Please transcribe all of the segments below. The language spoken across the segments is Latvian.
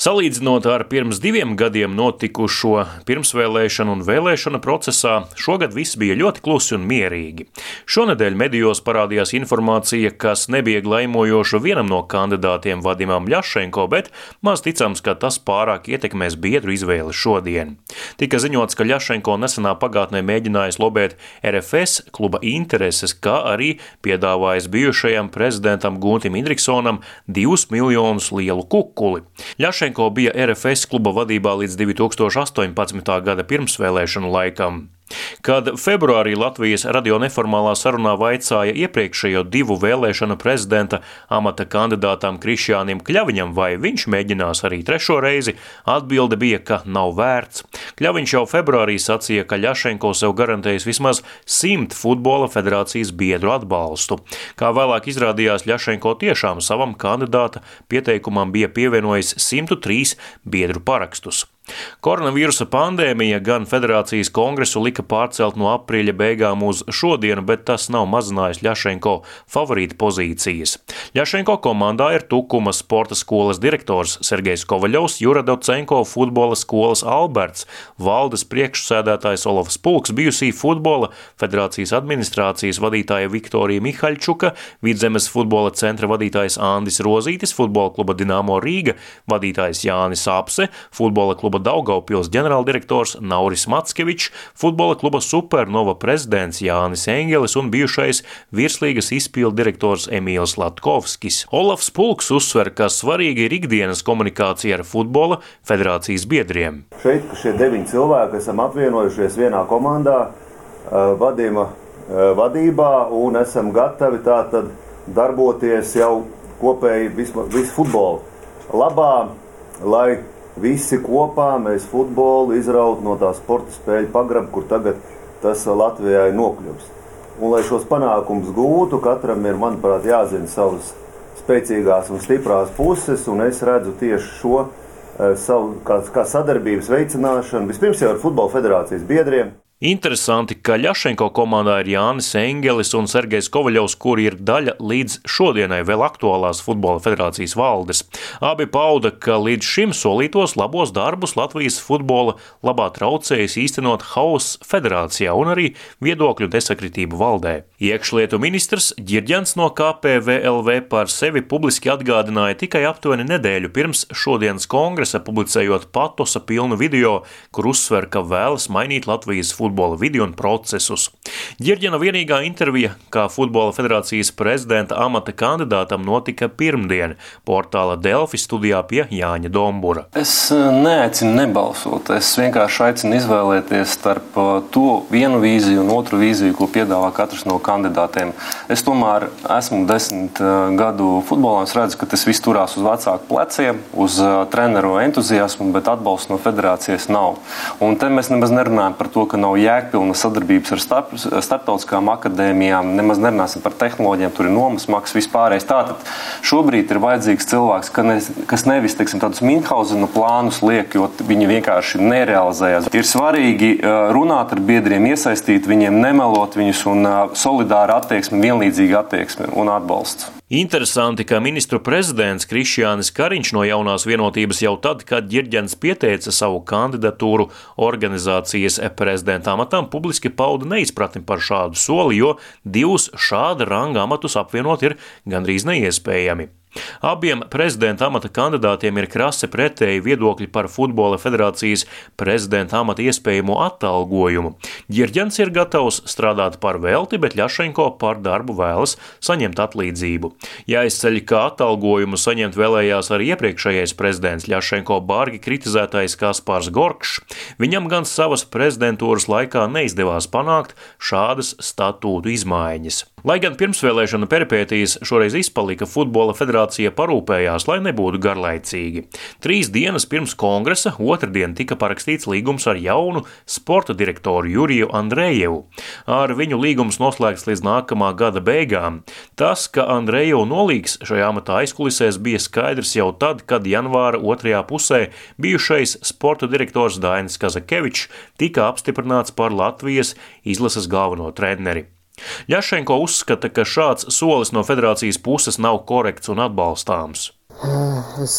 Salīdzinot ar pirms 2 gadiem notikušo pirmsvēlēšanu un vēlēšanu procesā, šogad viss bija ļoti klusi un mierīgi. Šonedēļ medijos parādījās informācija, kas nebija laimojoša vienam no kandidātiem Vadimam Ļašenko, bet maz ticams, ka tas pārāk ietekmēs biedru izvēli šodien. Tika ziņots, ka Ļašenko nesenā pagātnē mēģinājis lobēt RFS kluba intereses, kā arī piedāvājis bijušajam prezidentam Guntim Indriksonam 2 miljonus lielu kukuli. Ļašenko bija RFS kluba vadībā līdz 2018. gada pirmsvēlēšanu laikam. Kad februārī Latvijas radio neformālā sarunā vaicāja iepriekšējo 2 vēlēšanu prezidenta amata kandidātam Krišjānim Kļaviņam, vai viņš mēģinās arī 3. reizi, atbilde bija, ka nav vērts. Kļaviņš jau februārī sacīja, ka Ļašenko sev garantējis vismaz 100 futbola federācijas biedru atbalstu. Kā vēlāk izrādījās, Ļašenko tiešām savam kandidāta pieteikumam bija pievienojis 103 biedru parakstus. Koronavīrusa pandēmija gan federācijas kongresu lika pārcelt no aprīļa beigām uz šodienu, bet tas nav mazinājis Ļašenko favorīta pozīcijas. Ļašenko komandā ir Tukuma sporta skolas direktors Sergejs Kovaļovs, Jura Docenko futbola skolas Alberts, valdes priekšsēdētājs Olofs Pulks, bijusī futbola federācijas administrācijas vadītāja Viktorija Mihaļčuka, Vidzemes futbola centra vadītājs Andis Rozītis, futbola kluba Dinamo Rīga vadītājs Jānis Apse, futbola kluba Daugavpils ģenerāldirektors Nauris Mackevičs, futbola kluba Supernova prezidents Jānis Engelis un bijušais virslīgas izpildu direktors Emīls Latkovskis. Olofs Pulks uzsver, ka svarīgi ir ikdienas komunikācija ar futbola federācijas biedriem. Šeit šie 9 cilvēki esam apvienojušies vienā komandā, Vadima vadībā un esam gatavi tātad darboties jau kopēji visu futbolu labā, lai visi kopā mēs futbolu izraut no tā sporta spēļu pagraba, kur tagad tas Latvijai nokļūst. Un, lai šos panākumus gūtu, katram ir, manuprāt, jāzina savas spēcīgās un stiprās puses, un es redzu tieši šo savu kā sadarbības veicināšanu, vispirms jau ar futbola federācijas biedriem. Interesanti, ka Ļašenko komandā ir Jānis Engelis un Sergejs Kovaļovs, kuri ir daļa līdz šodienai vēl aktuālās futbola federācijas valdes. Abi pauda, ka līdz šim solītos labos darbus Latvijas futbola labā traucējis īstenot hauss federācijā un arī viedokļu nesakritību valdē. Iekšlietu ministrs Ģirģents no KPVLV par sevi publiski atgādināja tikai aptuveni nedēļu pirms šodienas kongresa, publicējot patosa pilnu video, kur uzsver, ka vēlas mainīt Latvijas futbola vidi un procesus. Ģirģena vienīgā intervija kā futbola federācijas prezidenta amata kandidātam notika pirmdien portāla Delfi studijā pie Jāņa Dombura. Es neaicinu nebalsot, es vienkārši aicinu izvēlēties starp to vienu vīziju un otru vīziju, ko piedāvā katrs no kandidātiem. Es tomēr esmu 10 gadu futbolā, es redzu, ka tas viss turās uz vecāku pleciem, uz treneru entuziasmu, bet atbalsts no federācijas nav. Un te mēs nemaz nerunājam par to, ka nav jēgpilna sadarbības ar starptautiskām akadēmijām, nemaz nerunāsim par tehnoloģijām, tur ir nomas maksas vispārējais. Tātad šobrīd ir vajadzīgs cilvēks, kas nevis, teiksim, tādus Minhausena plānus liek, jo viņi vienkārši nerealizējās. Ir svarīgi runāt ar biedriem, iesaistīt viņiem, nemelot viņus un solidāra attieksme, vienlīdzīga attieksme un atbalsts. Interesanti, ka ministru prezidents Krišjānis Kariņš no Jaunās vienotības jau tad, kad Ģirģents pieteica savu kandidatūru organizācijas prezidenta amatam, publiski pauda neizpratni par šādu soli, jo 2 šāda ranga amatus apvienot ir gandrīz neiespējami. Abiem prezidenta amata kandidātiem ir krasi pretēji viedokļi par futbola federācijas prezidenta amata iespējamo atalgojumu. Ģirģents ir gatavs strādāt par velti, bet Ļašenko par darbu vēlas saņemt atlīdzību. Jāizceļ, ka atalgojumu saņemt vēlējās arī iepriekšējais prezidents Ļašenko bargi kritizētais Kaspars Gorkšs. Viņam gan savas prezidentūras laikā neizdevās panākt šādas statūtu izmaiņas. Lai gan pirmsvēlēšana peripētīs šoreiz izpalika, futbola federācija parūpējās, lai nebūtu garlaicīgi. 3 dienas pirms kongresa otrdien tika parakstīts līgums ar jaunu sporta direktoru Juriju Andrejevu. Ar viņu līgums noslēgts līdz nākamā gada beigām. Tas, ka Andrejevu nolīgs šajā amatā aizkulisēs, bija skaidrs jau tad, kad janvāra otrajā pusē bijušais sporta direktors Dainis Kazakevičs tika apstiprināts par Latvijas izlases galveno treneri. Ļašenko uzskata, ka šāds solis no federācijas puses nav korekts un atbalstāms. Es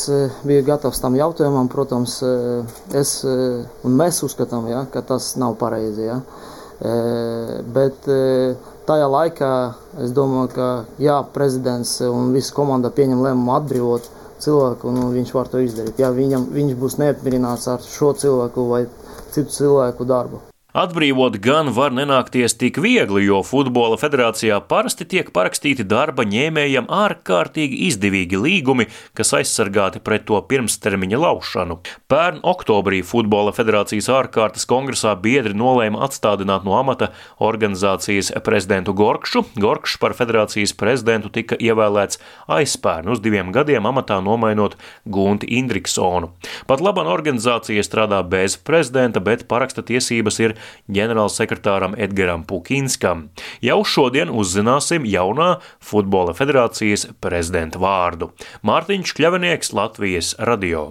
biju gatavs tam jautājumam, protams, un mēs uzskatām, ja, ka tas nav pareizi. Ja. Bet tajā laikā es domāju, ka jā, prezidents un visa komanda pieņem lēmumu atbrīvot cilvēku, un viņš var to izdarīt. Ja viņš būs neapmierināts ar šo cilvēku vai citu cilvēku darbu. Atbrīvot gan var nenākties tik viegli, jo Futbola federācijā parasti tiek parakstīti darba ņēmējam ārkārtīgi izdevīgi līgumi, kas aizsargāti pret to pirmstermiņa laušanu. Pērn oktobrī Futbola federācijas ārkārtas kongresā biedri nolēma atstādināt no amata organizācijas prezidentu Gorkšu. Gorkšs par federācijas prezidentu tika ievēlēts aizpērn uz 2 gadiem amatā nomainot Gunti Indriksonu. Pat laban organizācija strādā bez prezidenta, bet paraksta tiesības ir ģenerālsekretāram Edgaram Pukinskam. Jau šodien uzzināsim jaunā Futbola federācijas prezidenta vārdu. Mārtiņš Kļavinieks, Latvijas radio.